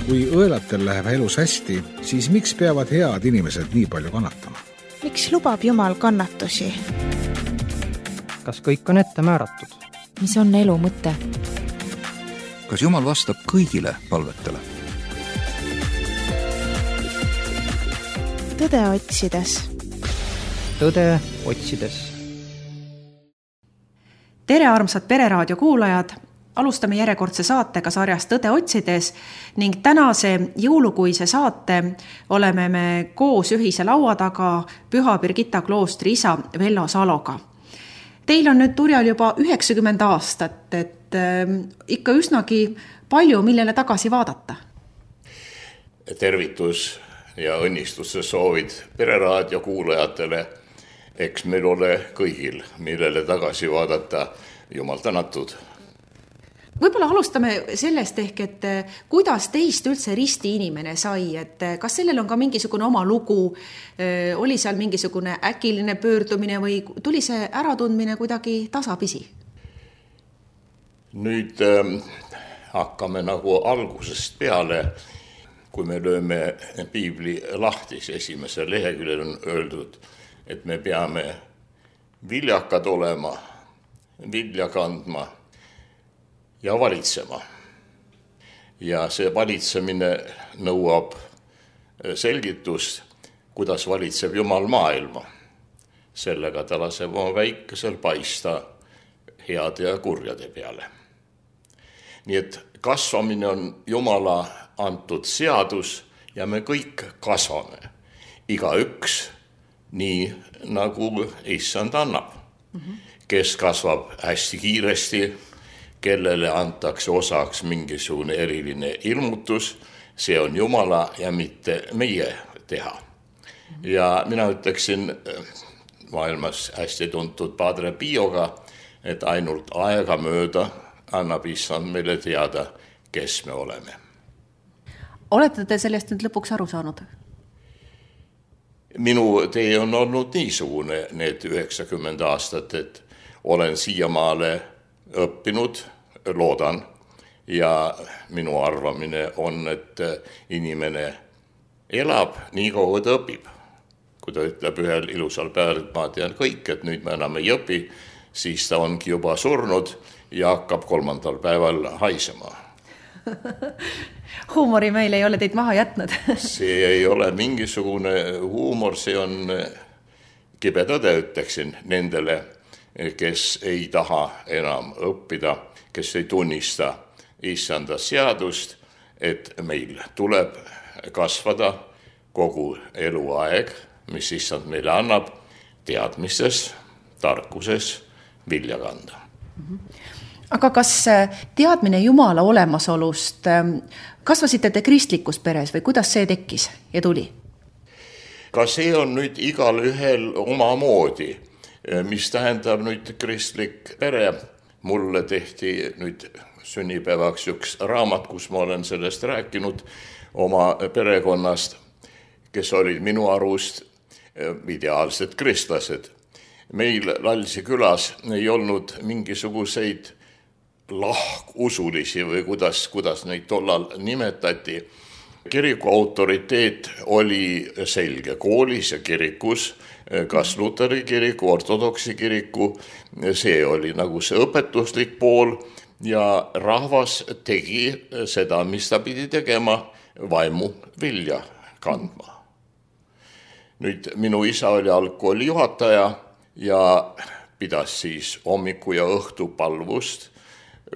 Kui õelatel läheb elus hästi, siis miks peavad head inimesed nii palju kannatama? Miks lubab Jumal kannatusi? Kas kõik on ette määratud? Mis on elu mõte? Kas Jumal vastab kõigile palvetele? Tõde otsides. Tõde otsides. Tere armsad Pereraadio kuulajad! Alustame järjekordse saatega sarjas Tõde otsides ning tänase jõulukuise saate oleme me koos ühise laua taga Püha Birgitta kloostri isa Vello Saloga. Teil on nüüd turjal juba 90 aastat, et ikka üsnagi palju, millele tagasi vaadata. Tervitus ja õnnistuse soovid Pereraadio kuulajatele. Eks meil ole kõigil, millele tagasi vaadata. Jumal tänatud. Võib-olla alustame sellest ehk, et kuidas teist üldse risti inimene sai, et kas sellel on ka mingisugune oma lugu, oli seal mingisugune äkiline pöördumine või tuli see äratundmine kuidagi tasapisi? Nüüd hakkame nagu algusest peale, kui me lööme piibli lahtis, esimesel leheküljel on öeldud, et me peame viljakad olema, vilja kandma ja valitsema. Ja see valitsemine nõuab selgitust, kuidas valitseb Jumal maailma. Sellega ta laseb oma väikesel paista heade ja kurjade peale. Nii et kasvamine on Jumala antud seadus ja me kõik kasvame. Igaüks nii nagu issand annab. Kes kasvab hästi kiiresti, kellele antakse osaks mingisugune eriline ilmutus, see on Jumala ja mitte meie teha. Ja mina ütleksin maailmas hästi tuntud Padre Pioga, et ainult aega mööda annab issand meile teada, kes me oleme. Olete te sellest nüüd lõpuks aru saanud? Minu tee on olnud niisugune need 90 aastat, et olen siiamaale õppinud, loodan, ja minu arvamine on, et inimene elab nii kaua ta õpib. Kui ta ütleb ühel ilusal päeval, et ma tean kõik, et nüüd me enam ei õpi, siis ta ongi juba surnud ja hakkab 3. päeval haisema. Huumori meil ei ole teid maha jätnud. See ei ole mingisugune huumor, see on kibe tõde, ütleksin nendele, kes ei taha enam õppida, kes ei tunnista issanda seadust, et meil tuleb kasvada kogu eluaeg, mis issand meile annab, teadmistes, tarkuses, vilja kanda. Aga kas teadmine Jumala olemasolust, kasvasite te kristlikus peres või kuidas see tekkis ja tuli? Ka see on nüüd igal ühel omamoodi, mis tähendab nüüd kristlik pere. Mulle tehti nüüd sünnipäevaks üks raamat, kus ma olen sellest rääkinud oma perekonnast, kes olid minu arust ideaalsed kristlased. Meil Lalsi külas ei olnud mingisuguseid lahkusulisi või kuidas neid tollal nimetati. Kiriku autoriteet oli selge koolis ja kirikus, kas Luteri kiriku, ortodoksi kiriku, see oli nagu see õpetuslik pool ja rahvas tegi seda, mis ta pidi tegema, vaimu vilja kandma. Nüüd minu isa oli algkooli juhataja ja pidas siis hommiku ja õhtu palvust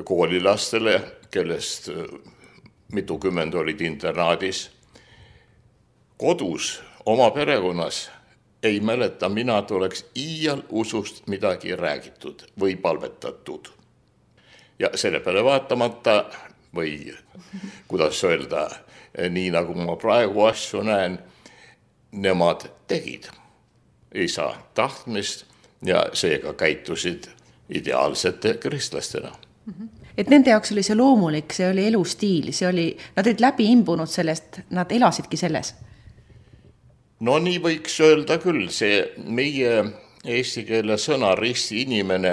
koolilastele, kellest mitukümmend olid internaadis. Kodus, oma perekonnas ei mäleta mina, et oleks iial usust midagi räägitud või palvetatud. Ja selle peale vaatamata või kuidas öelda, nii nagu ma praegu asju näen, nemad tegid isa tahtmist ja seega käitusid ideaalsete kristlastena. Et nende jaoks oli see loomulik, see oli elustiil, nad olid läbi imbunud sellest, nad elasidki selles. No nii võiks öelda küll, see meie eesti keele sõna risti inimene,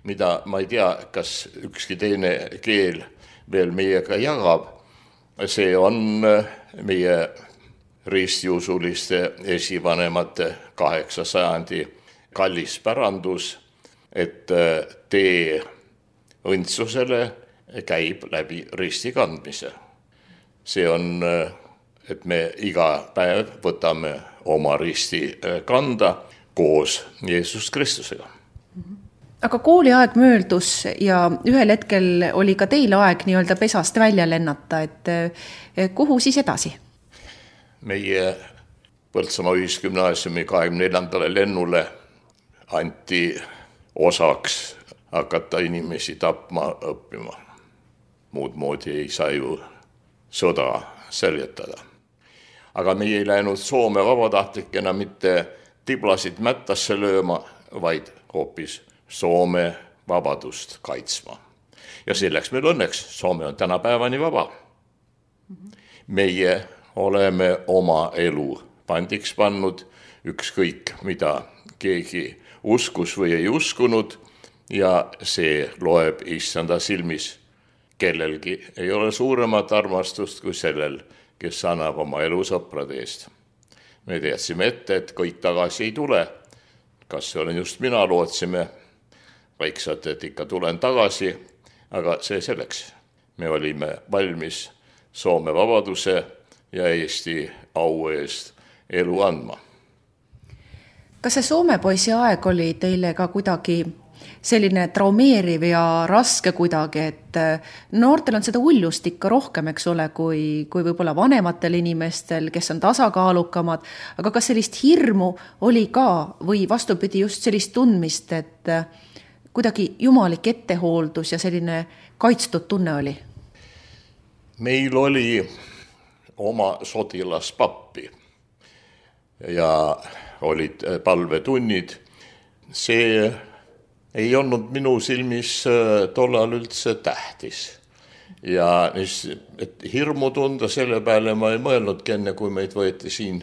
mida ma ei tea, kas ükski teine keel veel meiega jagab, see on meie ristiusuliste esivanemate 8. sajandi kallis pärandus, et tee õndsusele käib läbi risti kandmise. See on, et me iga päev võtame oma risti kanda koos Jeesus Kristusega. Aga kooliaeg möödus ja ühel hetkel oli ka teil aeg nii-öelda pesast välja lennata, et kuhu siis edasi? Meie Põltsamaa Ühisgümnaasiumi 24. lennule anti osaks hakata inimesi tapma õppima. Muud moodi ei saa ju sõda seljatada. Aga meie ei läinud Soome vabatahtlikena mitte tiblasid mättasse lööma, vaid hoopis Soome vabadust kaitsma. Ja selleks meil õnneks Soome on tänapäevani vaba. Meie oleme oma elu pandiks pannud, ükskõik mida keegi uskus või ei uskunud, ja see loeb issanda silmis. Kellelgi ei ole suuremat armastust kui sellel, kes annab oma elu sõprade eest. Me teadsime ette, et kõik tagasi ei tule. Kas see olen just mina, lootsime vaikselt, et ikka tulen tagasi, aga see selleks. Me olime valmis Soome vabaduse ja Eesti au eest elu andma. Kas see Soome poisi aeg oli teile ka kuidagi selline traumeeriv ja raske kuidagi, et noortel on seda uljust ikka rohkem, eks ole, kui võib-olla vanematel inimestel, kes on tasakaalukamad, aga kas sellist hirmu oli ka või vastupidi just sellist tundmist, et kuidagi jumalik ettehooldus ja selline kaitstud tunne oli? Meil oli oma sotilaspappi ja olid palvetunnid. See ei olnud minu silmis tollal üldse tähtis. Ja et hirmu tunda selle peale ma ei mõelnudki enne, kui meid võeti siin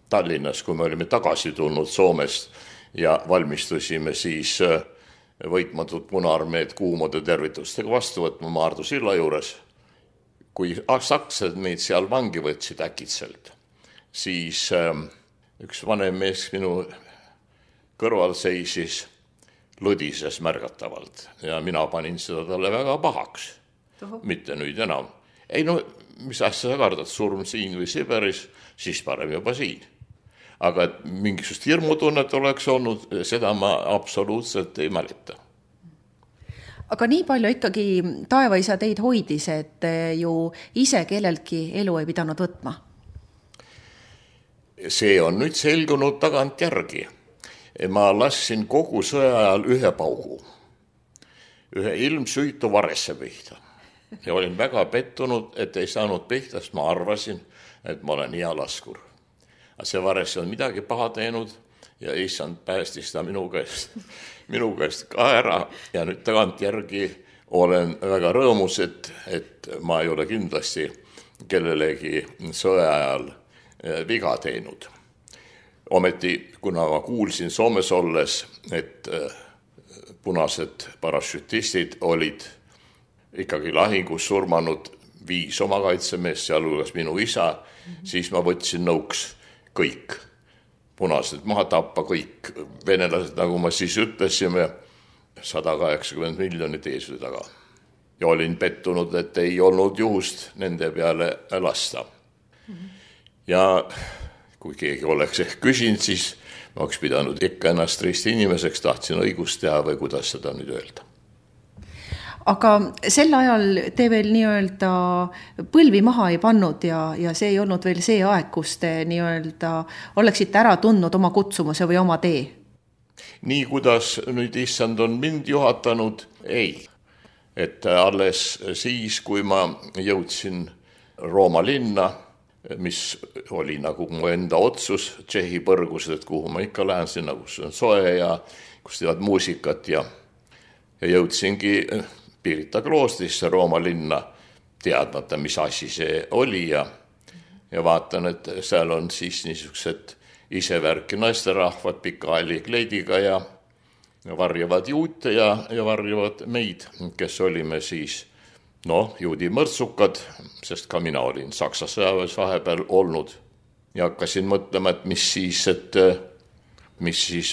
Tallinnas, kui me olime tagasi tulnud Soomest ja valmistusime siis võitmatut Punaarmeed kuumade tervitustega vastu võtma Maardu silla juures. Kui sakslased meid seal vangi võtsid äkitselt, siis üks vanem mees minu kõrval seisis, lõdises märgatavalt ja mina panin seda talle väga pahaks. Mitte nüüd enam. Ei no, mis asja sa kardad, surm siin või Siberis, siis parem juba siin. Aga et mingisugust hirmutunnet oleks olnud, seda ma absoluutselt ei mäleta. Aga nii palju ikkagi taevaisa teid hoidis, et ju ise kelleltki elu ei pidanud võtma? See on nüüd selgunud tagant järgi. Ma lassin kogu sõja ajal ühe paugu, ühe ilmsüütu varesse pihta. Ja olin väga pettunud, et ei saanud pihta, sest ma arvasin, et ma olen hea laskur. Aga see varesse on midagi paha teinud ja issand päästis ta minu käest ka ära. Ja nüüd tagant järgi olen väga rõõmus, et ma ei ole kindlasti kellelegi sõja ajal viga teinud. Ometi, kuna ma kuulsin Soomes olles, et punased parašütistid olid ikkagi lahingus surmanud 5 oma kaitsemeest, sealhulgas minu isa, siis ma võtsin nõuks kõik punased maha tappa, kõik venelased, nagu ma siis ütlesime, 180 miljonit eesvõi taga. Ja olin pettunud, et ei olnud juhust nende peale lasta. Ja kui keegi oleks küsinud, siis ma oleks pidanud ikka ennast risti inimeseks, tahtsin õigust teha või kuidas seda nüüd öelda. Aga sel ajal te veel nii-öelda põlvi maha ei pannud ja see ei olnud veel see aeg, kus te nii-öelda oleksite ära tundnud oma kutsumuse või oma tee? Nii kuidas nüüd issand on mind juhatanud, ei. Et alles siis, kui ma jõudsin Rooma linna, mis oli nagu mu enda otsus, Tšehhi põrgused, et kuhu ma ikka lähen sinna, kus on soe ja kus teevad muusikat ja jõudsingi Pirita kloostrisse Rooma linna, teadmata, mis asi see oli ja vaatan, et seal on siis niisugused isevärki naisterahvad pika allikleidiga ja varjavad juute ja varjavad meid, kes olime siis juudi mõrtsukad, sest ka mina olin Saksa sõjaväes vahepeal olnud ja hakkasin mõtlema, et mis siis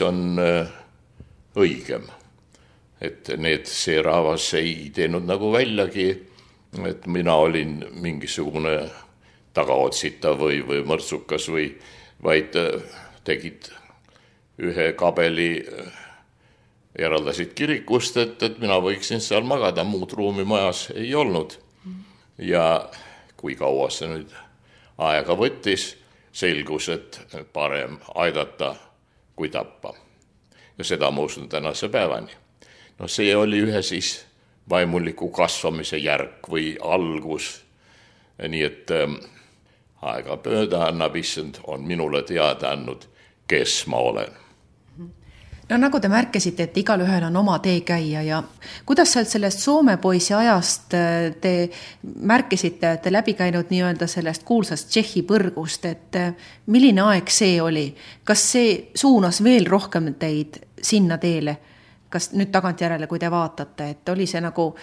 on õigem. Et see rahvas ei teinud nagu väljagi, et mina olin mingisugune tagaotsitav või mõrtsukas vaid tegid ühe kabeli, eraldasid kirikust, et mina võiksin seal magada, muud ruumi majas ei olnud. Ja kui kaua see nüüd aega võttis, selgus, et parem aidata kui tappa. Ja seda ma usun tänase päevani. See oli ühe siis vaimuliku kasvamise järg või algus. Nii et aega pööda annab issand on minule teada andnud, kes ma olen. Nagu te märkisite, et igal ühel on oma tee käia ja kuidas sellest Soome poisi ajast te märkisite, et te läbi käinud nii-öelda sellest kuulsast Tšehhi põrgust, et milline aeg see oli? Kas see suunas veel rohkem teid sinna teele? Kas nüüd tagantjärele, kui te vaatate, et oli see nagu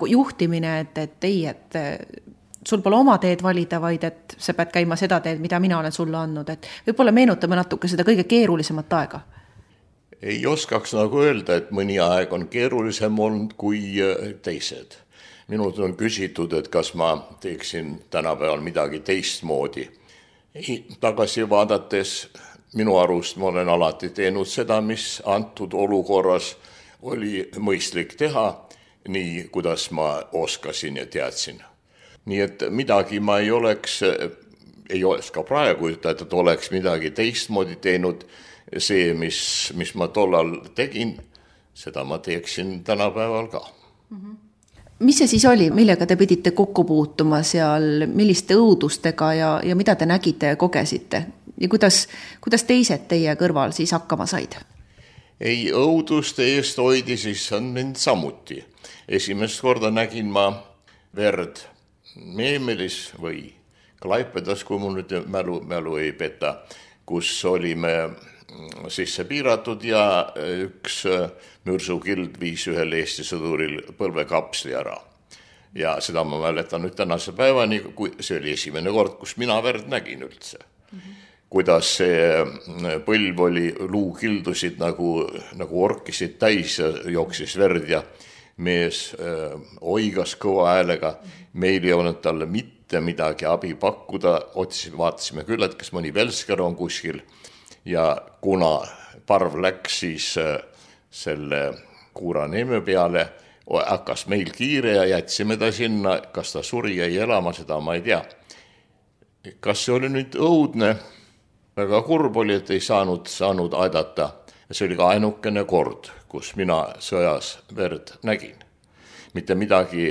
juhtimine, et sul pole oma teed valida, vaid et sa pead käima seda teed, mida mina olen sulle andnud, et võib-olla meenutame natuke seda kõige keerulisemat aega? Ei oskaks nagu öelda, et mõni aeg on keerulisem olnud kui teised. Minult on küsitud, et kas ma teeksin tänapäeval midagi teistmoodi. Tagasi vaadates minu arust ma olen alati teinud seda, mis antud olukorras oli mõistlik teha, nii kuidas ma oskasin ja teadsin. Nii et midagi ma ei oska praegu ütelda, et oleks midagi teistmoodi teinud. See, mis ma tollal tegin, seda ma teeksin tänapäeval ka. Mis see siis oli, millega te pidite kokku puutuma seal, milliste õudustega ja mida te nägite ja kogesite? Ja kuidas teised teie kõrval siis hakkama said? Ei, õuduste eest hoidi siis on mind samuti. Esimest korda nägin ma verd Meemelis või Klaipedas, kui mul nüüd mälu ei peta, kus olime sisse piiratud ja üks mürsukild viis ühel Eesti sõduril põlvekapsli ära. Ja seda ma mäletan nüüd tänase päevani, see oli esimene kord, kus mina verd nägin üldse. Kuidas see põlv oli, luukildusid nagu orkisid täis ja jooksis verd ja mees oigas kõva häälega. Meil ei olnud talle mitte midagi abi pakkuda, vaatasime küll, et kas mõni velsker on kuskil. Ja kuna parv läks siis selle Kuuraneeme peale, hakkas meil kiire ja jätsime ta sinna, kas ta suri jäi elama, seda ma ei tea. Kas see oli nüüd õudne? Väga kurb oli, et ei saanud aidata. See oli ka ainukene kord, kus mina sõjas verd nägin. Mitte midagi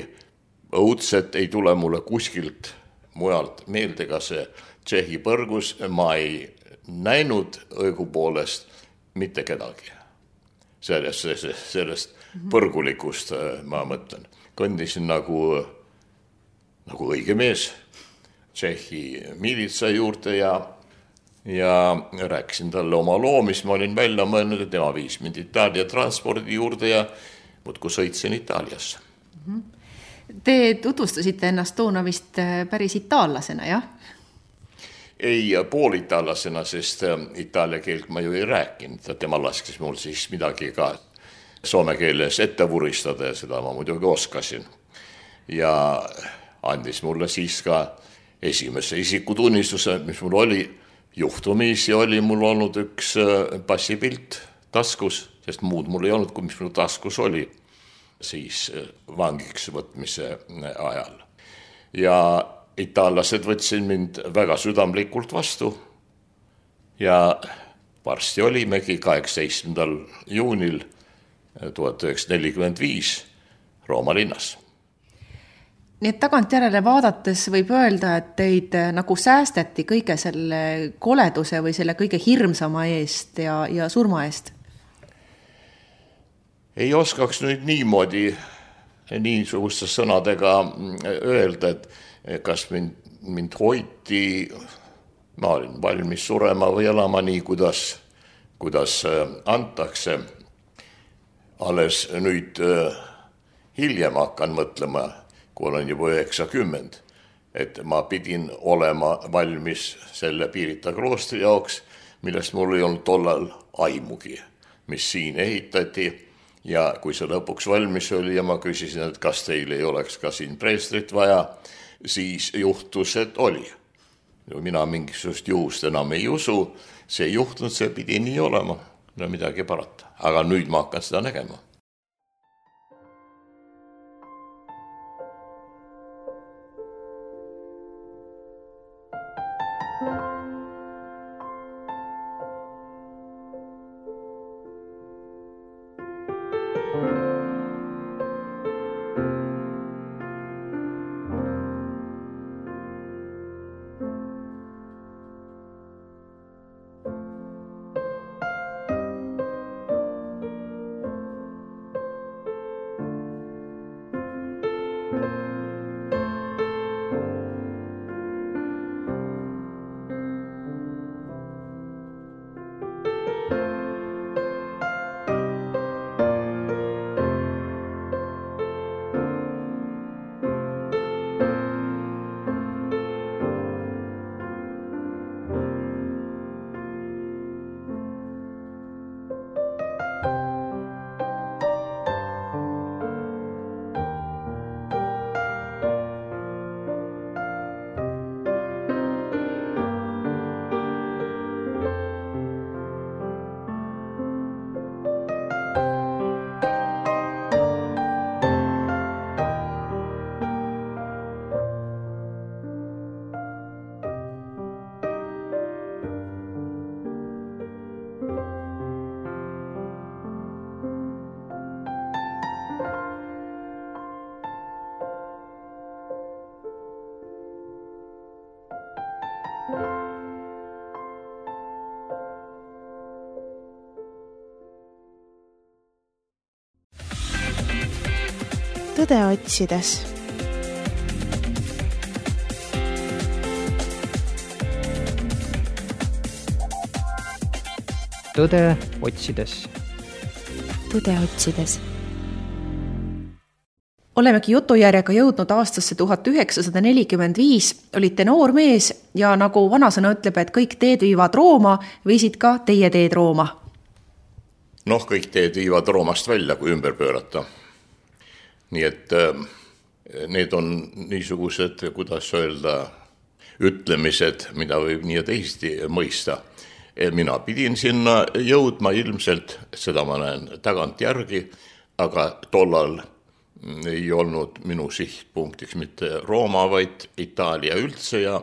õudset ei tule mulle kuskilt mujalt meelde, ka see Tšehhi põrgus, ma ei näinud õigupoolest mitte kedagi. Sellest põrgulikust ma mõtlen. Kõndisin nagu õige mees Tšehhi miilitsa juurde ja rääkisin talle oma loo, mis ma olin välja mõelnud, et tema viis mind Itaalia transpordi juurde ja muudkui sõitsin Itaaliasse. Te tutvustasite ennast toona vist päris itaallasena, jah? Ei poolitaallasena, sest itaalia keelt ma ju ei rääkinud. Tema laskis mul siis midagi ka soome keeles ette vuristada ja seda ma muidugi oskasin. Ja andis mulle siis ka esimese isikutunnistuse, mis mul oli. Juhtumisi oli mul olnud üks passipilt taskus, sest muud mul ei olnud, kui mis mul taskus oli siis vangiks võtmise ajal. Ja itaallased võtsin mind väga südamlikult vastu ja varsti olimegi 18. juunil 1945 Rooma linnas. Nii et tagantjärele vaadates võib öelda, et teid nagu säästeti kõige selle koleduse või selle kõige hirmsama eest ja surma eest? Ei oskaks nüüd niimoodi niisuguste sõnadega öelda, et kas mind hoiti, ma olin valmis surema või elama nii, kuidas antakse. Alles nüüd hiljem hakkan mõtlema, kui olen juba 90. Et ma pidin olema valmis selle Pirita kloostri jaoks, millest mul ei olnud tollal aimugi, mis siin ehitati. Ja kui see lõpuks valmis oli ja ma küsisin, et kas teil ei oleks ka siin preestrit vaja, siis juhtus, et oli. Mina mingisugust juhust enam ei usu, see juhtunud, see pidi nii olema, no midagi parata. Aga nüüd ma hakkan seda nägema. Tõde otsides. Tõde otsides. Tõde otsides. Olemegi jutujärjega jõudnud aastasse 1945, olite noor mees ja nagu vanasõna ütleb, et kõik teed viivad Rooma, viisid ka teie teed Rooma. Noh, kõik teed viivad Roomast välja, kui ümber pöörata. Nii et need on niisugused, kuidas öelda, ütlemised, mida võib nii ja teisesti mõista. Mina pidin sinna jõudma ilmselt, seda ma näen tagant järgi, aga tollal ei olnud minu sihtpunktiks mitte Rooma, vaid Itaalia üldse ja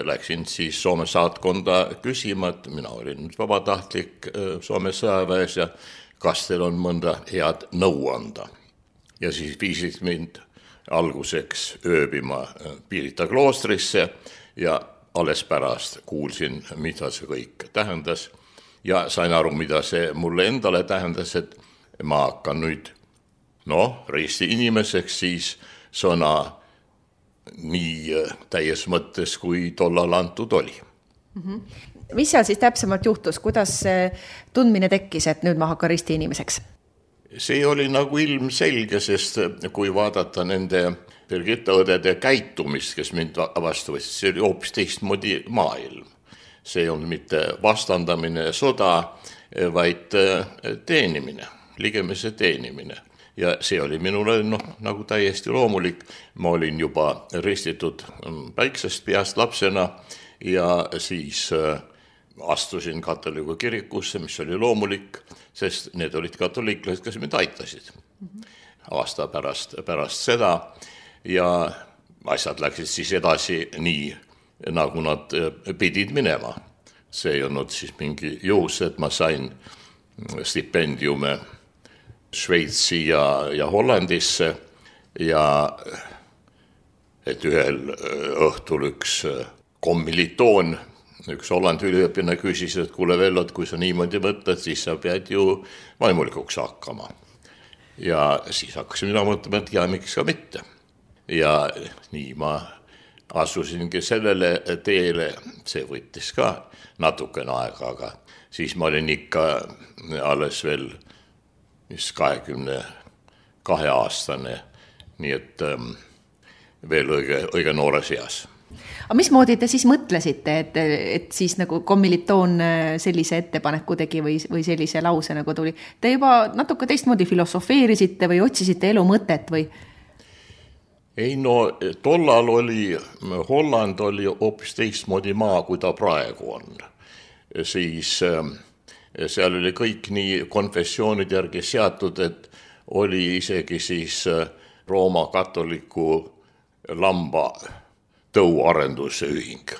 läksin siis Soome saatkonda küsima, et mina olin vabatahtlik Soome sõjaväes ja kas teil on mõnda head nõu anda. Ja siis viisid mind alguseks ööbima Pirita kloostrisse ja alles pärast kuulsin, mida see kõik tähendas ja sain aru, mida see mulle endale tähendas, et ma hakkan nüüd risti inimeseks siis sõna nii täies mõttes, kui tollal antud oli. Mis seal siis täpsemalt juhtus? Kuidas see tundmine tekkis, et nüüd ma hakkan risti inimeseks? See oli nagu ilmselge, sest kui vaadata nende Birgitta õdede käitumist, kes mind vastu võtsid, see oli hoopis teistmoodi maailm. See on mitte vastandamine sõda, vaid teenimine, ligemese teenimine. Ja see oli minule nagu täiesti loomulik. Ma olin juba ristitud väiksest peast lapsena ja siis astusin katoliku kirikusse, mis oli loomulik, sest need olid katoliiklased, kes mind aitasid. Aasta pärast seda ja asjad läksid siis edasi nii, nagu nad pidid minema. See ei olnud siis mingi juhus, et ma sain stipendiume Šveitsi ja Hollandisse ja et ühel õhtul üks kommilitoon, üks Hollandi üliõpilane küsis, et kuule Vello, kui sa niimoodi mõtled, siis sa pead ju vaimulikuks hakkama. Ja siis hakkasin mina mõtlema, et ja miks ka mitte. Ja nii ma asusingi sellele teele, see võttis ka natukene aega, aga siis ma olin ikka alles veel 22 aastane, nii et veel õige noores eas. Aga mismoodi te siis mõtlesite, et siis nagu kommilitoon sellise ettepaneku tegi või sellise lause nagu tuli? Te juba natuke teistmoodi filosofeerisite või otsisite elu mõtet või? Ei, no tollal Holland oli hoopis teistmoodi maa, kui ta praegu on. Siis seal oli kõik nii konfessioonid järgi seatud, et oli isegi siis Rooma katoliku lamba tõuarenduse ühing.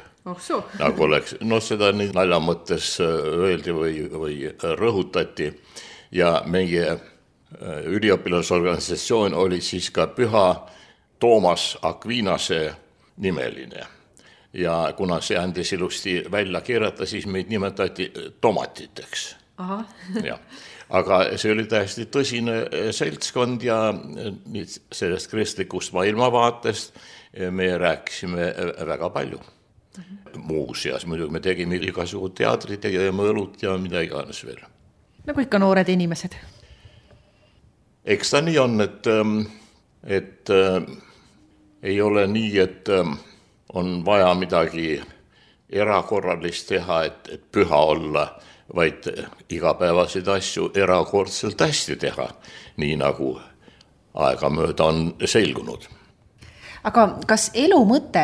Nagu oleks, seda nii nalja mõttes öeldi või rõhutati ja meie üliõpilasorganisatsioon oli siis ka Püha Toomas Akvinase nimeline ja kuna see andis ilusti välja kirjata, siis meid nimetati tomatiteks. Ja. Aga see oli täiesti tõsine seltskond ja sellest kristlikust maailmavaatest me rääkisime väga palju. Muuseas, muidugi me tegime igasugu teatrit, tegime õlut ja mida iganes veel. Nagu ikka noored inimesed. Eks ta nii on, et ei ole nii, et on vaja midagi erakorralist teha, et püha olla, vaid igapäevaseid asju erakordselt hästi teha, nii nagu aegamööda on selgunud. Aga kas elu mõte,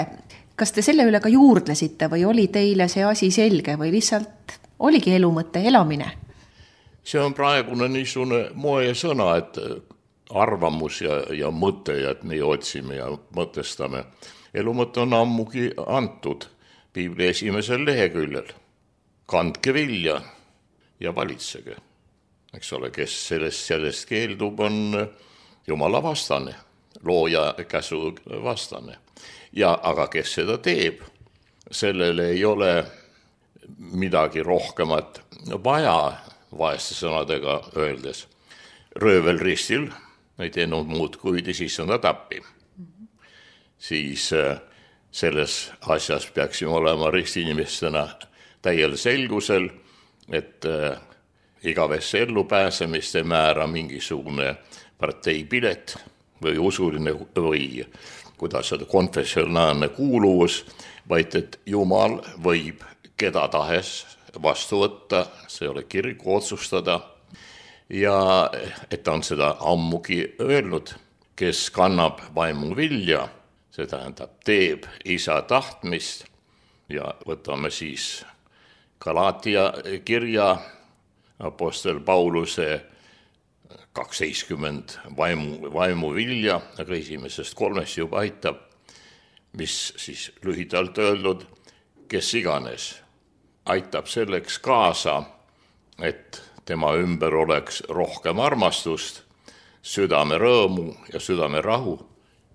kas te selle üle ka juurdlesite või oli teile see asi selge või lihtsalt oligi elu mõte elamine? See on praegune niisugune moe sõna, et arvamus ja mõte, et me otsime ja mõtestame. Elu mõte on ammugi antud Piibli esimesel leheküljel. Kandke vilja ja valitsege. Eks ole, kes sellest keeldub, on Jumala vastane, looja käsu vastane. Aga kes seda teeb, sellele ei ole midagi rohkemat vaja, vaeste sõnadega öeldes. Röövel ristil ei teinud muud kui siis on ta tappi. Siis selles asjas peaksime olema ristinimestena täiel selgusel, et igavesse ellu pääsemist ei määra mingisugune parteipilet või usuline või kuidas seda konfessionaalne kuuluvus, vaid et Jumal võib keda tahes vastu võtta, see ole kiriku otsustada, ja et ta on seda ammugi öelnud, kes kannab vaimu vilja, see tähendab teeb isa tahtmist ja võtame siis Galatia kirja apostel Pauluse 12 vaimu vilja, aga esimesest 3 juba aitab, mis siis lühidalt öeldud, kes iganes aitab selleks kaasa, et tema ümber oleks rohkem armastust, südame rõõmu ja südame rahu.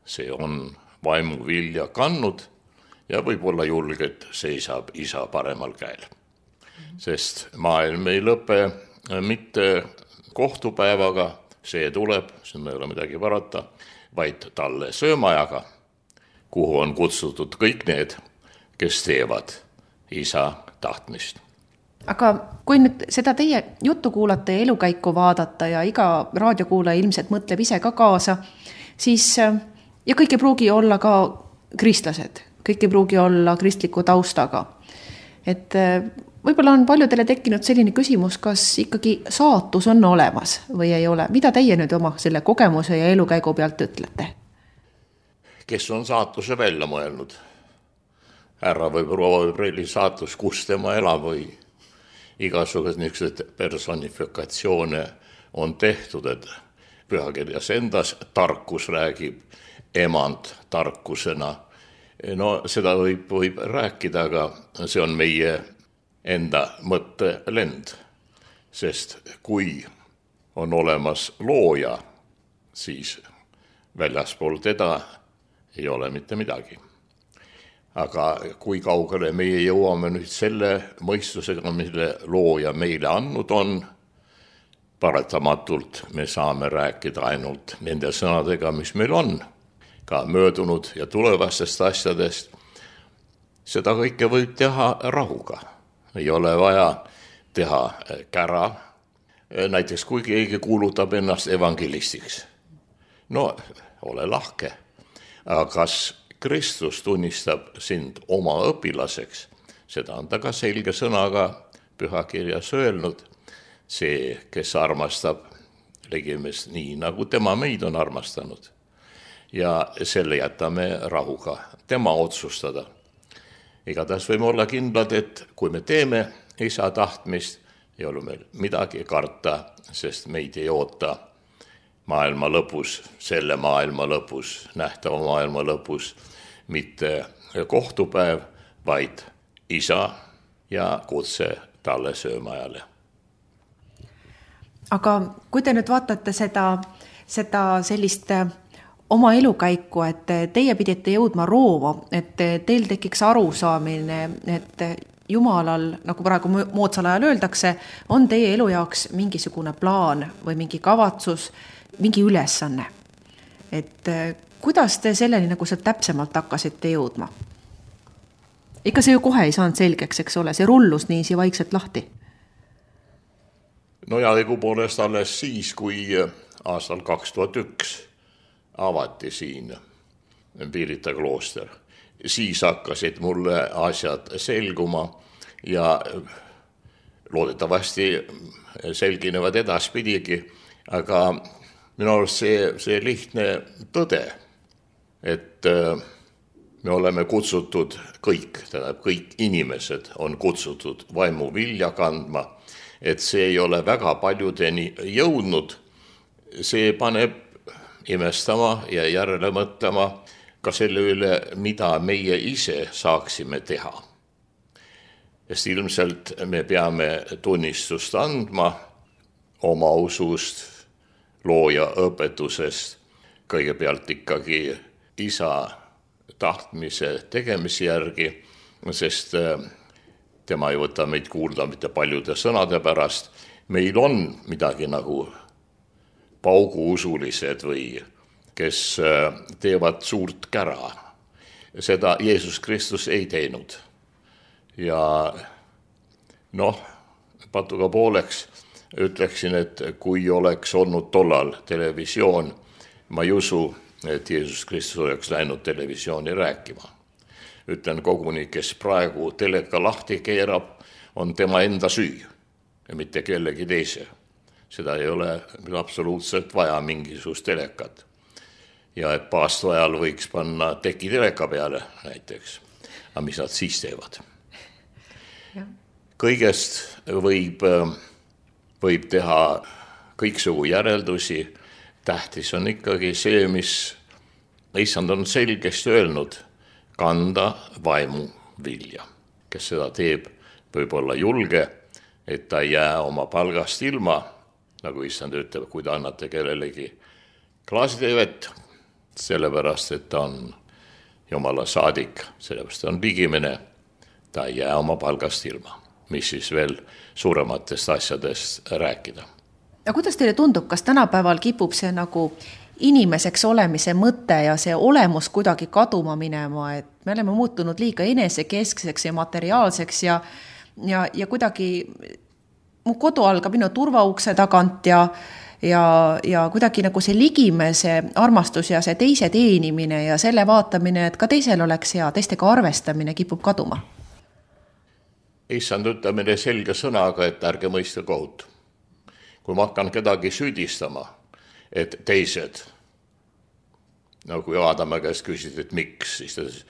See on vaimu vilja kannud ja võib-olla julgelt seisab isa paremal käel. Sest maailm ei lõpe mitte kohtupäevaga, see tuleb, siin ei ole midagi parata, vaid talle söömajaga, kuhu on kutsutud kõik need, kes teevad isa tahtmist. Aga kui nüüd seda teie juttu kuulata ja elukäiku vaadata ja iga raadiokuulaja ilmselt mõtleb ise ka kaasa, siis ja kõik ei pruugi olla ka kristlased, kõik ei pruugi olla kristliku taustaga. Et võib-olla on paljudele tekkinud selline küsimus, kas ikkagi saatus on olemas või ei ole. Mida teie nüüd oma selle kogemuse ja elukäigu pealt ütlete? Kes on saatuse välja mõelnud? Härra või proua või prelli saatus, kus tema elab või igasugused niisugused personifikatsioone on tehtud, et pühakirjas endas tarkus räägib emand tarkusena. No seda võib rääkida, aga see on meie enda mõttelend, sest kui on olemas looja, siis väljaspool teda ei ole mitte midagi. Aga kui kaugele meie jõuame nüüd selle mõistusega, mille looja meile andnud on, paratamatult me saame rääkida ainult nende sõnadega, mis meil on, ka möödunud ja tulevastest asjadest. Seda kõike võib teha rahuga. Ei ole vaja teha kära. Näiteks kui keegi kuulutab ennast evangelistiks. No, ole lahke. aga kas Kristus tunnistab sind oma õpilaseks, seda on ta ka selge sõnaga pühakirjas öelnud. See, kes armastab ligimest nii, nagu tema meid on armastanud. Ja selle jätame rahuga tema otsustada. Igatahes võime olla kindlad, et kui me teeme isa tahtmist, ei ole meil midagi karta, sest meid ei oota maailma lõpus, selle maailma lõpus, nähtava maailma lõpus, mitte kohtupäev, vaid isa ja kutse talle söömajale. Aga kui te nüüd vaatate seda sellist oma elukäiku, et teie pidite jõudma Rooma, et teil tekiks arusaamine, et Jumalal, nagu praegu moodsal ajal öeldakse, on teie elu jaoks mingisugune plaan või mingi kavatsus, mingi ülesanne. Et kuidas te selleni nagu see täpsemalt hakkasite jõudma? Ikka see ju kohe ei saanud selgeks, eks ole, see rullus niisi vaikselt lahti. No ja õigupoolest alles siis, kui aastal 2001 avati siin Pirita klooster. Siis hakkasid mulle asjad selguma ja loodetavasti selginevad edaspidigi, aga minu arust see lihtne tõde, et me oleme kutsutud kõik inimesed on kutsutud vaimu vilja kandma, et see ei ole väga paljudeni jõudnud, see paneb imestama ja järele mõtlema ka selle üle, mida meie ise saaksime teha. Sest ilmselt me peame tunnistust andma oma usust, looja õpetusest, kõigepealt ikkagi isa tahtmise tegemise järgi, sest tema ei võta meid kuulda mitte paljude sõnade pärast. Meil on midagi nagu pauguusulised või kes teevad suurt kära. Seda Jeesus Kristus ei teinud. Ja patuga pooleks ütleksin, et kui oleks olnud tollal televisioon, ma ei usu, et Jeesus Kristus oleks läinud televisiooni rääkima. Ütlen koguni, kes praegu teleka lahti keerab, on tema enda süü ja mitte kellegi teise. Seda ei ole absoluutselt vaja mingisugust telekat. Ja et paastu ajal võiks panna teki teleka peale näiteks. Aga mis nad siis teevad? Kõigest võib teha kõiksugu järeldusi. Tähtis on ikkagi see, mis issand on selgesti öelnud, kanda vaimu vilja. Kes seda teeb, võib olla julge, et ta ei jää oma palgast ilma, nagu issand ütleb, kui ta annate kellelegi klaaside vett, sellepärast, et ta on Jumala saadik, sellepärast on ligimene, ta ei jää oma palgast ilma. Mis siis veel suurematest asjadest rääkida. Ja kuidas teile tundub, kas tänapäeval kipub see nagu inimeseks olemise mõte ja see olemus kuidagi kaduma minema, et me oleme muutunud liiga enesekeskseks ja materiaalseks ja kuidagi mu kodu algab minu turvaukse tagant ja kuidagi nagu see ligimese armastus ja see teise teenimine ja selle vaatamine, et ka teisel oleks hea, teistega arvestamine kipub kaduma. Issand ütleb meile selge sõnaga, et ärge mõista kohut. Kui ma hakkan kedagi süüdistama, et teised, kui Aadama käest küsid, et miks, siis ta ütles,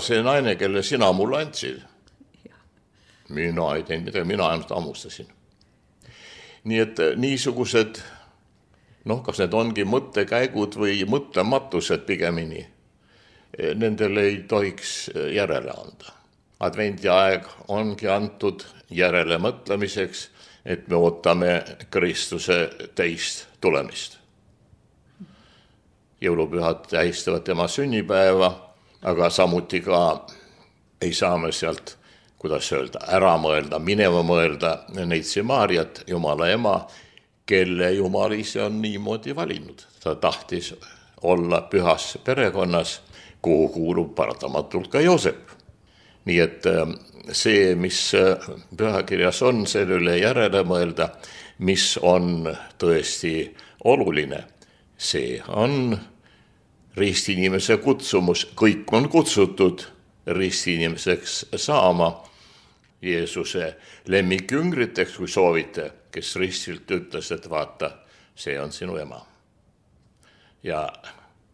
see naine, kelle sina mulle andsid. Mina ei teinud midagi, mina ainult ammustasin. Nii et niisugused, kas need ongi mõttekäigud või mõtlematused pigemini, nendele ei tohiks järele anda. Advendi aeg ongi antud järele mõtlemiseks, et me ootame Kristuse teist tulemist. Jõulupühad tähistavad tema sünnipäeva, aga samuti ka ei saa me sealt, kuidas öelda, ära mõelda, minema mõelda Neitsi Maariat, Jumala ema, kelle Jumal ise on niimoodi valinud. Ta tahtis olla pühas perekonnas, kuhu kuulub paratamatult ka Joosep. Nii et see, mis pühakirjas on, selle üle järele mõelda, mis on tõesti oluline, see on ristiinimese kutsumus, kõik on kutsutud ristiinimeseks saama, Jeesuse lemmikjüngriteks, kui soovite, kes ristilt ütles, et vaata, see on sinu ema. Ja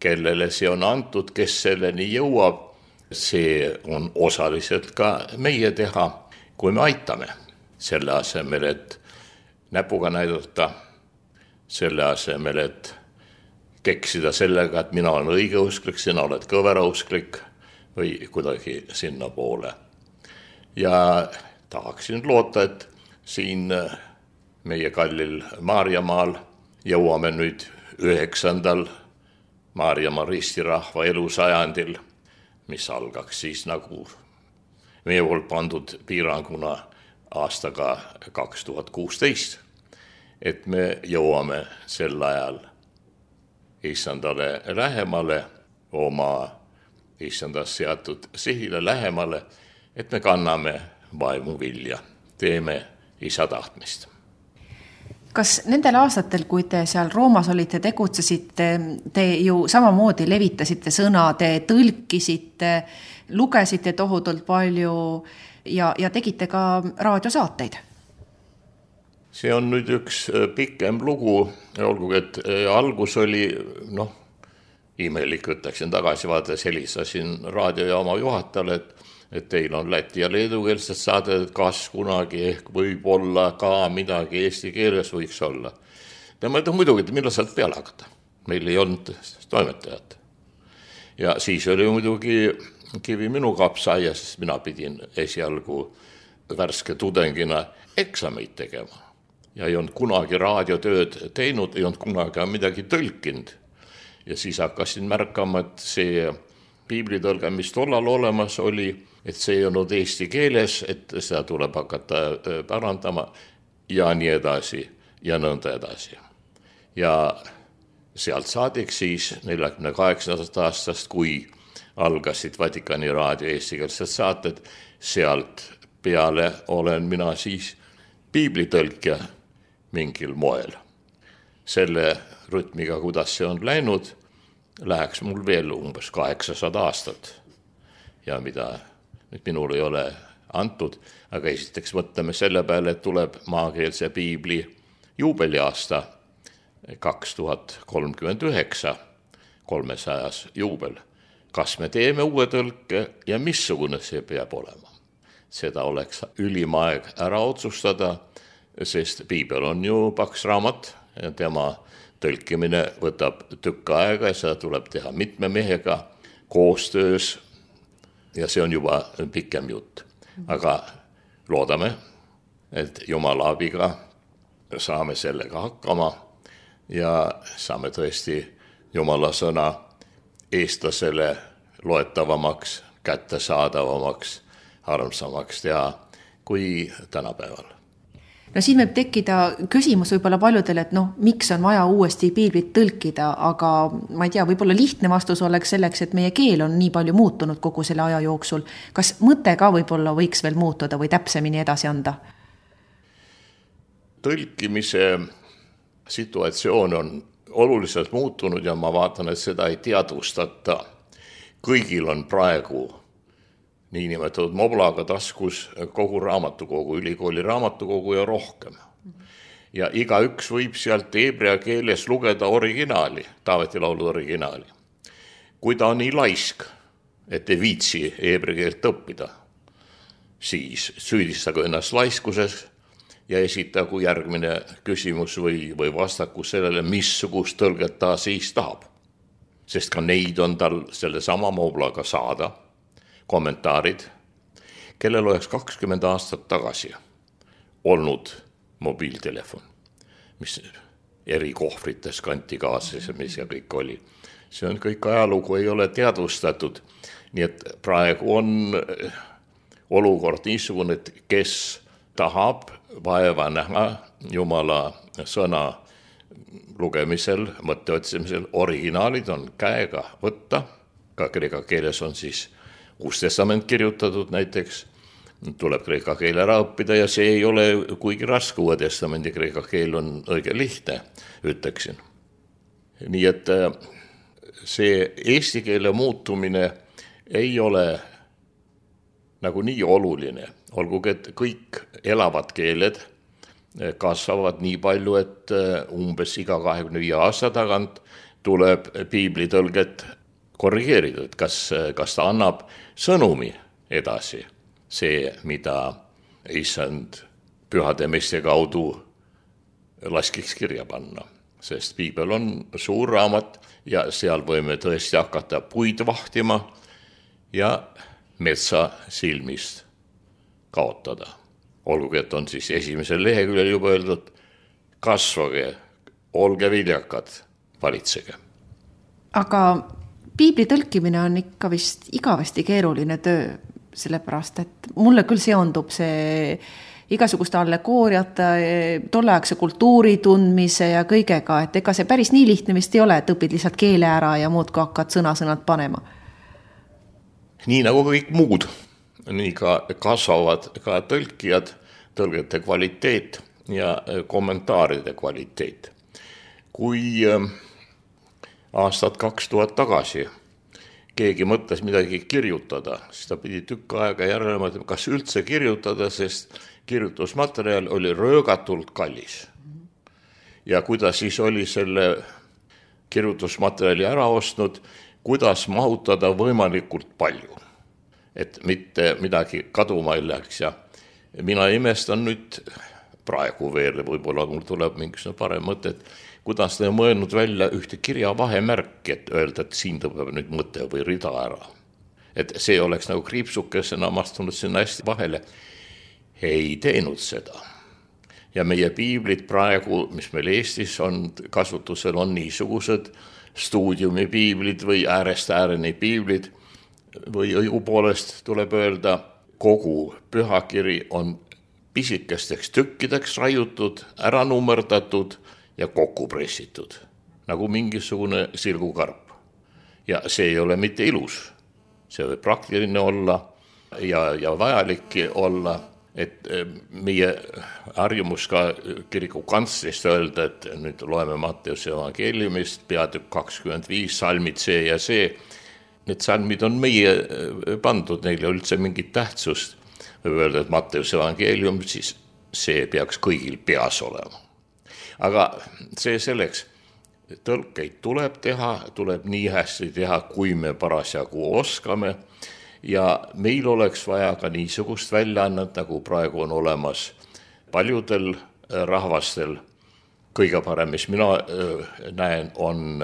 kellele see on antud, kes selleni jõuab, see on osaliselt ka meie teha, kui me aitame selle asemel, et näpuga näidata, selle asemel, et keksida sellega, et mina olen õigeusklik, sina oled kõverausklik või kuidagi sinna poole. Ja tahaksin loota, et siin meie kallil Maarjamaal jõuame nüüd 9. Maarjamaa ristirahva elusajandil, mis algaks siis nagu meie poolt pandud piiranguna aastaga 2016, et me jõuame sel ajal Issandale lähemale, oma Issandas seatud sihile lähemale, et me kanname vaimu vilja, teeme Isa tahtmist. Kas nendel aastatel, kui te seal Roomas olite, tegutsesite, te ju samamoodi levitasite sõna, te tõlkisite, lugesite tohutult palju ja tegite ka raadiosaateid? See on nüüd üks pikem lugu, olgugi, et algus oli, imelik ütleksin tagasi vaadates, helistasin raadiojaama juhatajale, et teil on läti ja leedukeelsed saaded, kas kunagi ehk võib olla ka midagi eesti keeles võiks olla. Tema ütles muidugi, et millal saad peale hakata. Meil ei olnud toimetajat. Ja siis oli muidugi kivi minu kapsaia, sest mina pidin esialgu värske tudengina eksameid tegema. Ja ei olnud kunagi raadiotööd teinud, ei olnud kunagi midagi tõlkinud. Ja siis hakkasin märkama, et see piiblitõlge, mis tollal olemas oli, et see ei olnud eesti keeles, et seda tuleb hakata parandama ja nii edasi ja nõnda edasi. Ja sealt saadik siis 48. aastast, kui algasid Vatikani raadio eestikeelsed saated, sealt peale olen mina siis piiblitõlkja mingil moel. Selle rütmiga, kuidas see on läinud, läheks mul veel umbes 800 aastat. Ja mida nüüd minul ei ole antud, aga esiteks mõtleme selle peale, et tuleb maakeelse piibli juubeliaasta 2039, 300. juubel. Kas me teeme uue tõlke ja missugune see peab olema? Seda oleks ülim aeg ära otsustada, sest piibel on ju paks raamat ja tema tõlkimine võtab tükk aega ja seda tuleb teha mitme mehega koostöös ja see on juba pikem jutt. Aga loodame, et Jumala abiga saame sellega hakkama ja saame tõesti Jumala sõna eestlasele loetavamaks, kättesaadavamaks, armsamaks teha kui tänapäeval. No siin võib tekkida küsimus võib-olla paljudele, et miks on vaja uuesti piiblit tõlkida, aga ma ei tea, võib-olla lihtne vastus oleks selleks, et meie keel on nii palju muutunud kogu selle aja jooksul. Kas mõte ka võib-olla võiks veel muutuda või täpsemini edasi anda? Tõlkimise situatsioon on oluliselt muutunud ja ma vaatan, et seda ei teadvustata. Kõigil on praegu niinimetatud moblaga taskus kogu raamatukogu, ülikooli raamatukogu ja rohkem. Ja igaüks võib sealt heebrea keeles lugeda originaali, Taaveti laulu originaali. Kui ta on nii laisk, et ei viitsi heebrea keelt õppida, siis süüdistagu ennast laiskuses ja esitagu järgmine küsimus või vastaku sellele, missugust tõlget ta siis tahab. Sest ka neid on tal selle sama moblaga saada, kommentaarid, kellel oleks 20 aastat tagasi olnud mobiiltelefon, mis eri kohvrites kanti kaasas, mis ja kõik oli. See on kõik ajalugu, ei ole teadvustatud. Nii et praegu on olukord niisugune, et kes tahab vaeva näha Jumala sõna lugemisel, mõtte otsimisel, originaalid on käega võtta, ka kreeka keeles on siis Uus testament kirjutatud näiteks, tuleb kreeka keel ära õppida ja see ei ole kuigi raske, Uue testamendi kreeka keel on õige lihtne, ütleksin. Nii et see eesti keele muutumine ei ole nagu nii oluline, olgugi et kõik elavad keeled kasvavad nii palju, et umbes iga 25 aasta tagant tuleb piiblitõlget korrigeerida, et kas ta annab sõnumi edasi, see, mida issand pühade meeste kaudu laskiks kirja panna. Sest piibel on suur raamat ja seal võime tõesti hakata puid vahtima ja metsa silmist kaotada. Olgugi, et on siis esimesel leheküljel juba öeldud, kasvage, olge viljakad, valitsege. Aga piibli tõlkimine on ikka vist igavesti keeruline töö, sellepärast, et mulle küll seondub see igasuguste allegooriate, tolleaegse kultuuri tundmise ja kõigega, et ega see päris nii lihtne vist ei ole, et õpid lihtsalt keele ära ja muud kui hakkad sõnad panema. Nii nagu kõik muud, nii ka kasvavad ka tõlkijad, tõlgete kvaliteet ja kommentaaride kvaliteet. Kui aastat 2000 tagasi keegi mõtles midagi kirjutada, siis ta pidi tükk aega järele mõtlema, kas üldse kirjutada, sest kirjutusmaterjal oli röögatult kallis. Ja kuidas siis oli selle kirjutusmaterjali ära ostnud, kuidas mahutada võimalikult palju, et mitte midagi kaduma ei läheks. Ja mina imestan nüüd praegu veel, võib-olla mul tuleb mingisugune parem mõte, et kuidas ta on mõelnud välja ühte kirja vahemärki, et öelda, et siin tuleb nüüd mõte või rida ära. Et see oleks nagu kriipsukesena astunud sinna hästi vahele. Ei teinud seda. Ja meie piiblid praegu, mis meil Eestis on kasutusel, on niisugused stuudiumi piiblid või äärest ääreni piiblid või õigupoolest tuleb öelda, kogu pühakiri on pisikesteks tükkideks raiutud, ära nummerdatud ja kokku pressitud, nagu mingisugune sirgukarp. Ja see ei ole mitte ilus, see võib praktiline olla ja vajalikki olla, et meie harjumus ka kiriku kantslist öelda, et nüüd loeme Matteuse evangeeliumist, peatükk 25, salmid see ja see. Need salmid on meie pandud, neile üldse mingit tähtsust. Võib öelda, et Matteuse evangeelium, siis see peaks kõigil peas olema. Aga see selleks, tõlkeid tuleb teha, tuleb nii hästi teha, kui me parasjagu oskame ja meil oleks vaja ka niisugust väljaannet, nagu praegu on olemas paljudel rahvastel. Kõige parem, mis mina näen, on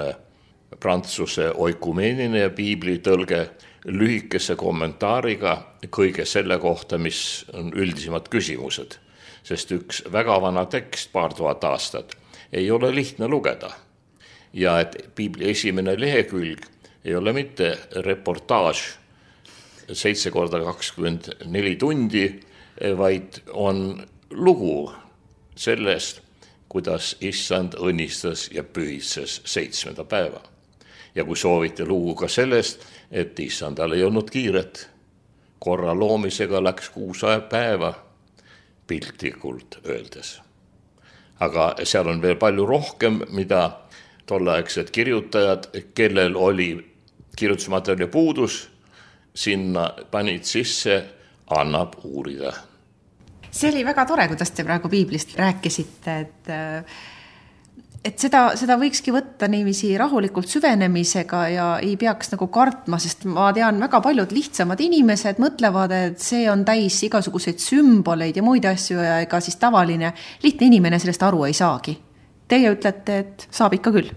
prantsuse oikumeeniline piiblitõlge lühikese kommentaariga kõige selle kohta, mis on üldisemad küsimused. Sest üks väga vana tekst, 2000 aastat, ei ole lihtne lugeda. Ja et piibli esimene lehekülg ei ole mitte reportaaž 7x24 tundi, vaid on lugu sellest, kuidas issand õnnistas ja pühitses 7. päeva. Ja kui soovite lugu ka sellest, et issandal ei olnud kiiret, korra loomisega läks 6 päeva, piltlikult öeldes. Aga seal on veel palju rohkem, mida tolleaegsed kirjutajad, kellel oli kirjutusmaterjali puudus, sinna panid sisse, annab uurida. See oli väga tore, kuidas te praegu piiblist rääkisite, et seda võikski võtta niiviisi rahulikult süvenemisega ja ei peaks nagu kartma, sest ma tean, väga paljud lihtsamad inimesed mõtlevad, et see on täis igasuguseid sümboleid ja muid asju ja ega siis tavaline lihtne inimene sellest aru ei saagi. Teie ütlete, et saab ikka küll.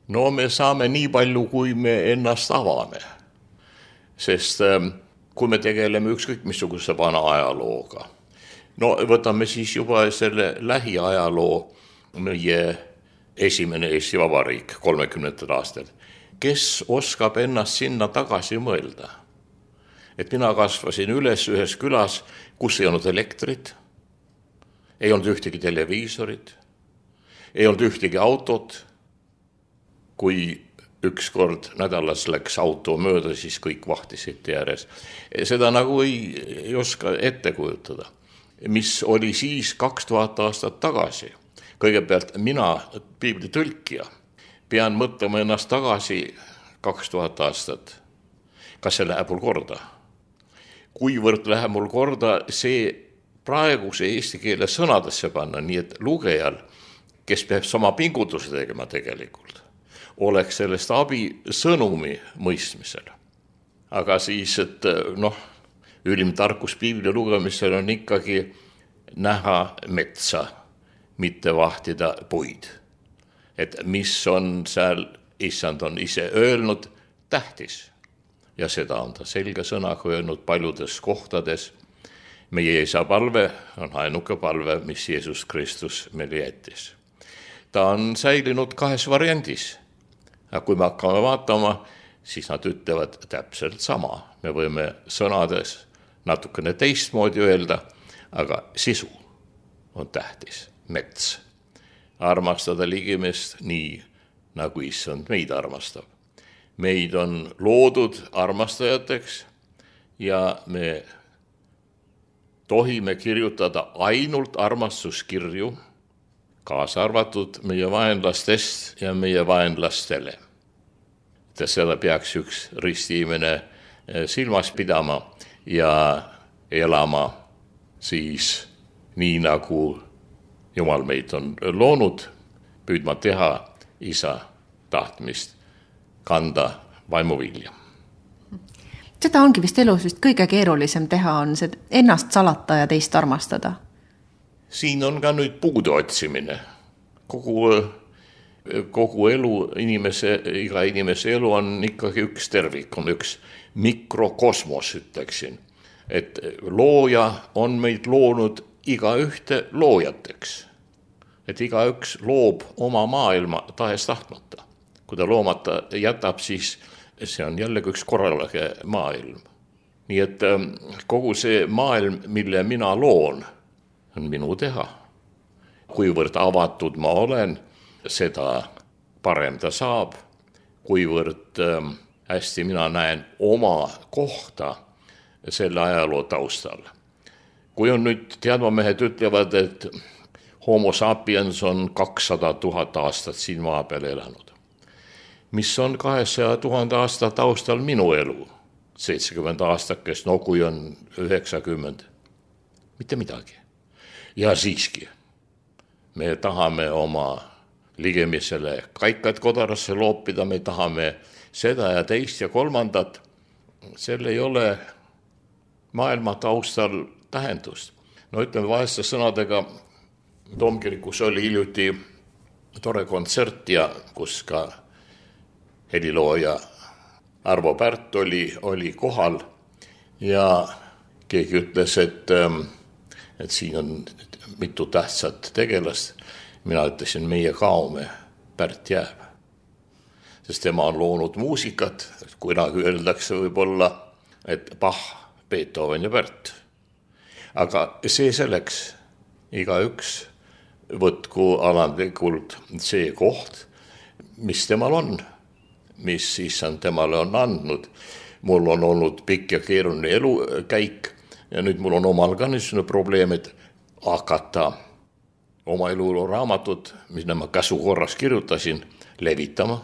No me saame nii palju, kui me ennast avame. Sest kui me tegeleme ükskõik missuguse vana ajalooga, no võtame siis juba selle lähiajaloo, meie esimene Eesti Vabariik 30. aastal. Kes oskab ennast sinna tagasi mõelda? Et mina kasvasin üles ühes külas, kus ei olnud elektrit, ei olnud ühtegi televiisorit, ei olnud ühtegi autot. Kui ükskord nädalas läks auto mööda, siis kõik vahtisid ääres. Seda nagu ei oska ette kujutada. Mis oli siis 2000 aastat tagasi? Kõigepealt mina, piibli tõlkija, pean mõtlema ennast tagasi 2000 aastat. Kas see läheb mul korda? Kuivõrd läheb mul korda see praeguse eesti keele sõnadesse panna, nii et lugejal, kes peab sama pingutuse tegema tegelikult, oleks sellest abi sõnumi mõistmisel. Aga siis, et ülim tarkus piibli lugemisel on ikkagi näha metsa, mitte vahtida puid. Et mis on seal, issand on ise öelnud, tähtis. Ja seda on ta selge sõnaga öelnud paljudes kohtades. Meie isa palve on ainuke palve, mis Jeesus Kristus meile jättis. Ta on säilinud 2 variandis. Ja kui me hakkame vaatama, siis nad ütlevad täpselt sama. Me võime sõnades natukene teistmoodi öelda, aga sisu on tähtis. Mets. Armastada ligimest nii, nagu issand meid armastab. Meid on loodud armastajateks ja me tohime kirjutada ainult armastuskirju, kaasa arvatud meie vaenlastest ja meie vaenlastele. Seda peaks üks ristiimene silmas pidama ja elama siis nii, nagu Jumal meid on loonud, püüdma teha isa tahtmist, kanda vaimuvilja. Seda ongi vist elus vist kõige keerulisem teha, on see ennast salata ja teist armastada. Siin on ka nüüd puude otsimine. Kogu elu, iga inimese elu on ikkagi üks tervik, on üks mikrokosmos, ütleksin. Et looja on meid loonud iga ühte loojateks. Et iga üks loob oma maailma tahes tahtmata. Kui ta loomata jätab, siis see on jällegi üks korraline maailm. Nii et kogu see maailm, mille mina loon, on minu teha. Kuivõrd avatud ma olen, seda parem ta saab. Kuivõrd hästi mina näen oma kohta selle ajaloo taustal. Kui on nüüd teadmamehed ütlevad, et homo sapiens on 200 000 aastat siin maa peal elanud. Mis on 200 000 aasta taustal minu elu? 70 aastakest, kui on 90. Mitte midagi. Ja siiski, me tahame oma ligemisele kaikad kodarasse loopida, me tahame seda ja teist ja kolmandat. Sel ei ole maailma taustal tähendust. Ütleme vaheste sõnadega, Toomkirikus oli hiljuti tore kontsert ja kus ka helilooja Arvo Pärt oli kohal ja keegi ütles, et siin on mitu tähtsat tegelast. Mina ütlesin, meie kaome, Pärt jääb. Sest tema on loonud muusikat, kunagi öeldakse võib-olla, et Bach, Beethoven ja Pärt. Aga see selleks, igaüks võtku alandlikult see koht, mis temal on, mis issand temale on andnud. Mul on olnud pikk ja keeruline elukäik ja nüüd mul on omal ka niisugune probleem, et hakata oma eluloo raamatut, mis ma käsukorras kirjutasin, levitama.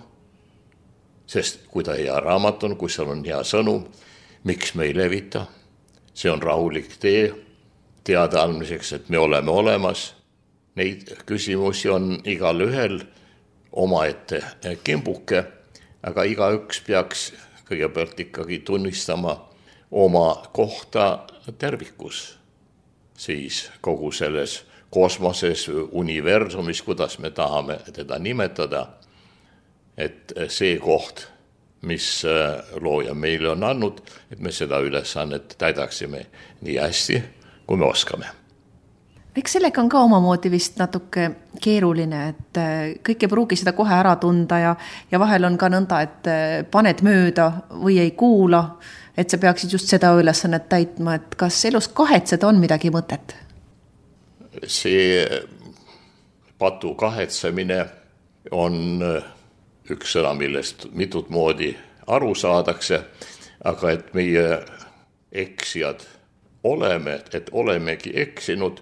Sest kui ta hea raamat on, kui seal on hea sõnum, miks me ei levita? See on rahulik tee teada andmiseks, et me oleme olemas. Neid küsimusi on igal ühel omaette kimbuke, aga igaüks peaks kõigepealt ikkagi tunnistama oma kohta tervikus. Siis kogu selles kosmoses, universumis, kuidas me tahame teda nimetada, et see koht, mis looja meile on andnud, et me seda ülesannet täidaksime nii hästi, kui me oskame. Eks sellega on ka omamoodi vist natuke keeruline, et kõik ei pruugi seda kohe ära tunda ja vahel on ka nõnda, et paned mööda või ei kuula, et sa peaksid just seda ülesannet täitma, et kas elus kahetseda on midagi mõtet? See patu kahetsemine on üks sõna, millest mitut moodi aru saadakse, aga et meie eksijad oleme, et olemegi eksinud,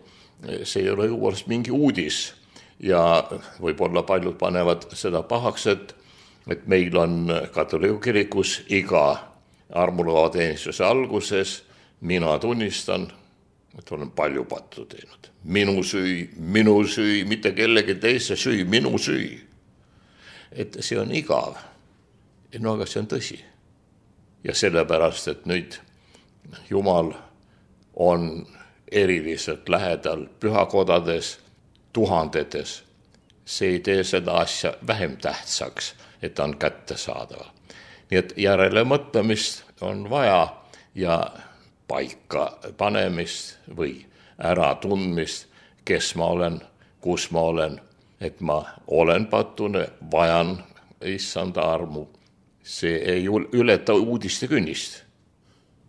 see ei ole juures mingi uudis. ja võib-olla paljud panevad seda pahaks, et meil on katoliku kirikus iga armulõvateenistuse alguses mina tunnistan, et olen palju pattu teinud. Minu süü, mitte kellegi teise süü, minu süü. Et see on igav. No aga see on tõsi. Ja sellepärast, et nüüd Jumal on eriliselt lähedal pühakodades, tuhandetes. See ei tee seda asja vähem tähtsaks, et ta on kättesaadav. Nii et järele mõtlemist on vaja ja paika panemist või ära tundmist, kes ma olen, kus ma olen, et ma olen patune, vajan issanda armu. See ei ületa uudiste künnist.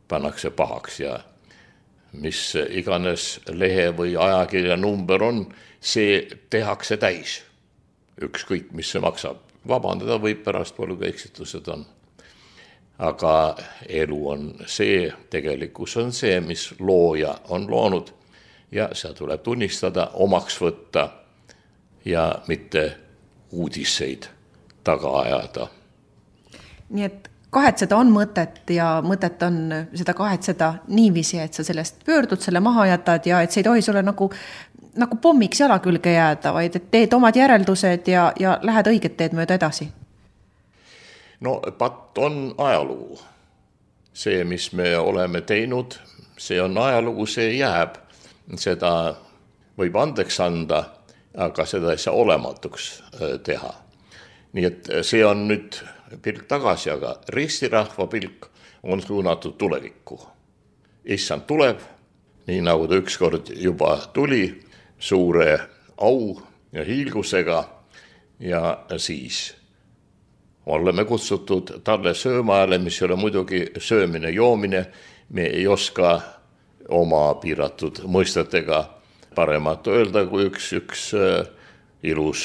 Pannakse pahaks ja mis iganes lehe või ajakirja number on, see tehakse täis. Ükskõik, mis see maksab. Vabandada võib pärast palju eksitused on. Aga elu on see, tegelikkus on see, mis looja on loonud ja see tuleb tunnistada, omaks võtta ja mitte uudiseid taga ajada. Nii et kahetseda on mõtet ja mõtet on seda kahetseda niiviisi, et sa sellest pöördud, selle maha jätad ja et see ei tohi sulle nagu pommiks jala külge jääda, vaid et teed omad järeldused ja lähed õiget teed mööda edasi. No patt on ajalugu. See, mis me oleme teinud, see on ajalugu, see jääb. Seda võib andeks anda, aga seda ei saa olematuks teha. Nii et see on nüüd pilk tagasi, aga ristirahva pilk on suunatud tulevikku. Issand tuleb, nii nagu ta ükskord juba tuli, suure au ja hiilgusega ja siis oleme kutsutud talle söömaajale, mis ei ole muidugi söömine, joomine. Me ei oska oma piiratud mõistetega paremat öelda kui üks ilus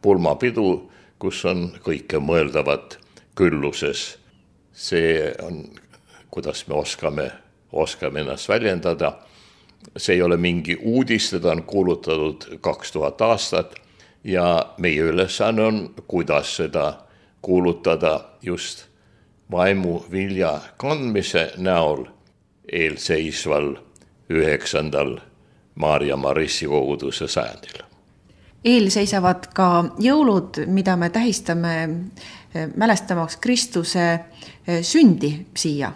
pulmapidu, kus on kõike mõeldavat külluses. See on, kuidas me oskame ennast väljendada. See ei ole mingi uudis, seda on kuulutatud 2000 aastat ja meie ülesanne on, kuidas seda kuulutada just vaimu vilja kandmise näol eelseisval 9. Maarja Marissi koguduse sajandil. Eelseisavad ka jõulud, mida me tähistame mälestamaks Kristuse sündi siia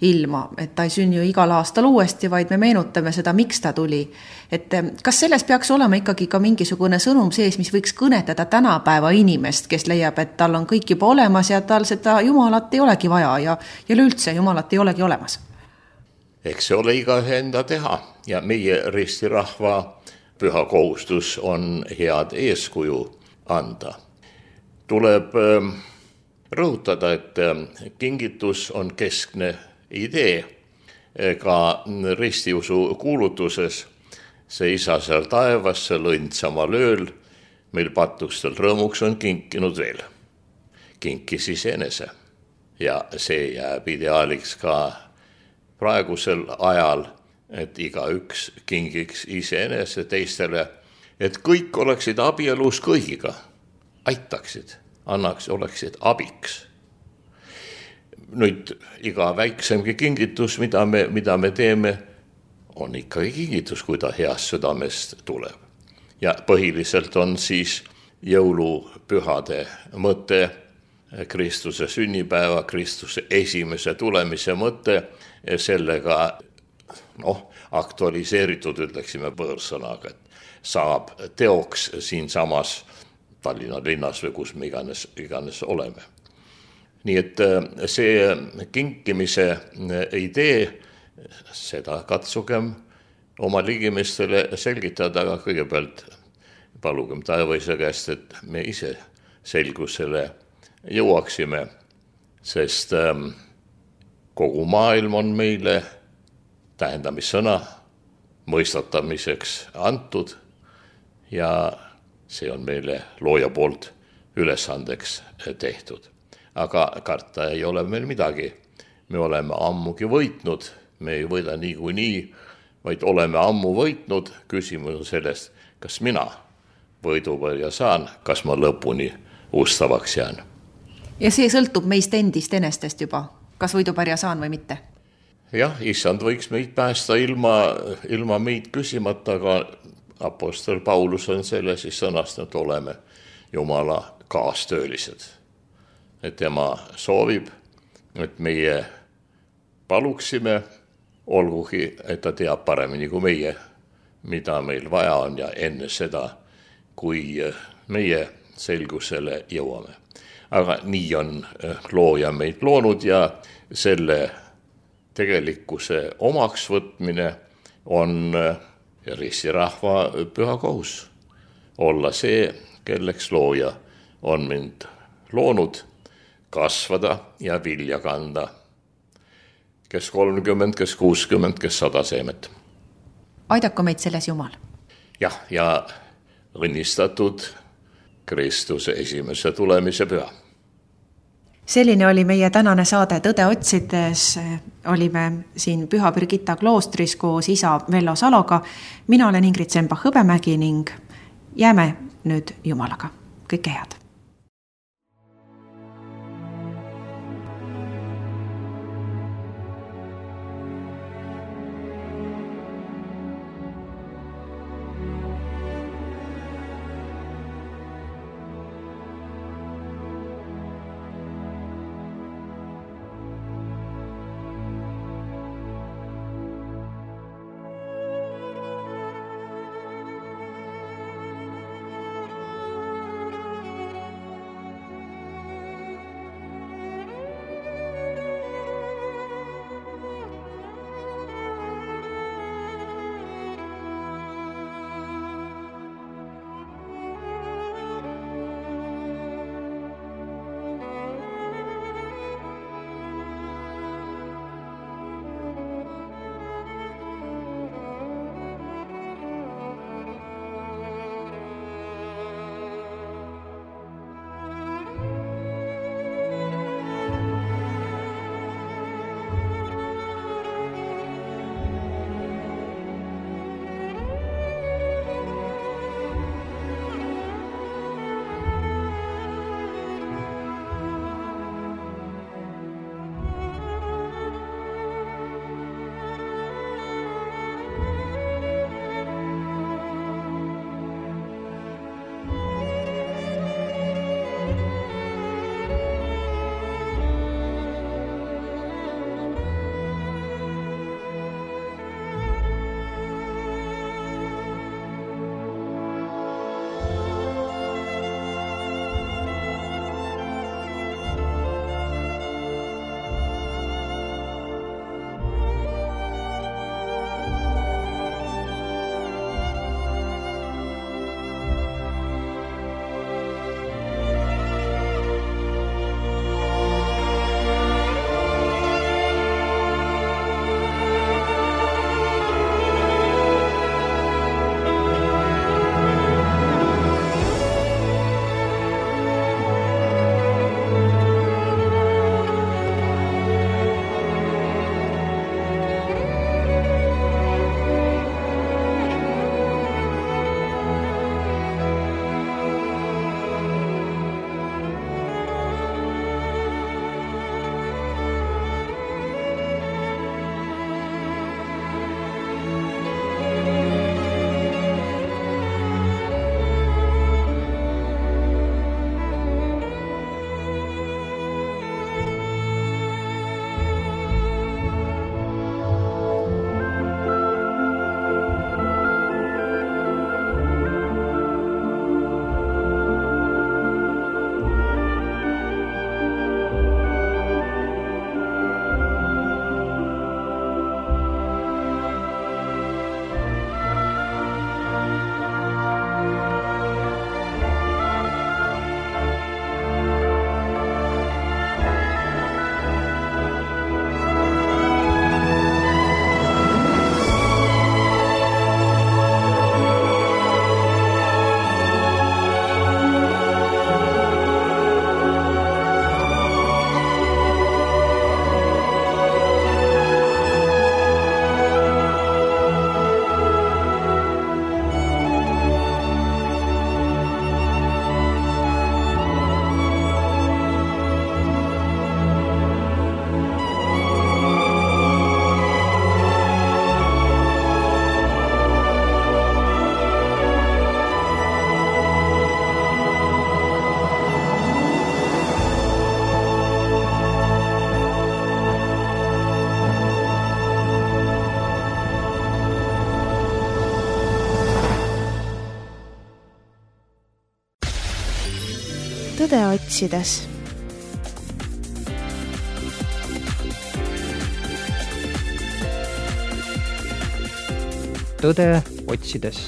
ilma, et ta ei sünni ju igal aastal uuesti, vaid me meenutame seda, miks ta tuli. Et kas selles peaks olema ikkagi ka mingisugune sõnum sees, mis võiks kõnetada tänapäeva inimest, kes leiab, et tal on kõik juba olemas ja tal seda Jumalat ei olegi vaja ja üleüldse Jumalat ei olegi olemas? Eks see ole igaühe enda teha ja meie ristirahva püha kohustus on head eeskuju anda. Tuleb rõhutada, et kingitus on keskne idee ka ristiusu kuulutuses. See isa seal taevas, see lõnd samal ööl, meil patustel rõõmuks on kinkinud veel. Kinkis iseenese ja see jääb ideaaliks ka praegusel ajal, et igaüks kingiks iseenese teistele, et kõik oleksid abielus kõigiga, aitaksid, oleksid abiks. Nüüd iga väiksemgi kingitus, mida me teeme, on ikkagi kingitus, kui ta heast südamest tuleb. Ja põhiliselt on siis jõulupühade mõte, Kristuse sünnipäeva, Kristuse esimese tulemise mõte, sellega aktualiseeritud, ütleksime võõrsõnaga, et saab teoks siin samas Tallinna linnas või kus me iganes oleme. Nii et see kinkimise idee, seda katsugem oma ligimestele selgitada, aga kõigepealt palugem taevaisa käest, et me ise selgusele jõuaksime, sest kogu maailm on meile tähendamissõna mõistatamiseks antud ja see on meile looja poolt ülesandeks tehtud. Aga karta ei ole meil midagi. Me oleme ammugi võitnud, me ei võida niikuinii, vaid oleme ammu võitnud. Küsimus on sellest, kas mina võidupõrja saan, kas ma lõpuni ustavaks jään. Ja see sõltub meist endist enestest juba, kas võidupärja saan või mitte? Jah, issand võiks meid päästa ilma meid küsimata, aga apostol Paulus on selle siis sõnastanud, oleme Jumala kaastöölised. Et tema soovib, et meie paluksime, olgugi, et ta teab paremini kui meie, mida meil vaja on ja enne seda, kui meie selgusele jõuame. Aga nii on looja meid loonud ja selle tegelikkuse omaks võtmine on risti rahva püha kohus. Olla see, kelleks looja on mind loonud, kasvada ja vilja kanda. Kes 30, kes 60, kes 100 seemet. Aidaku meid selles Jumal. Jah, ja õnnistatud Kristuse esimese tulemise püha. Selline oli meie tänane saade Tõde otsides. Olime siin Püha Birgitta kloostris koos isa Vello Saloga. Mina olen Ingrid Sembach-Hõbemägi ning jääme nüüd Jumalaga. Kõike head! Tõde otsides. Tõde otsides.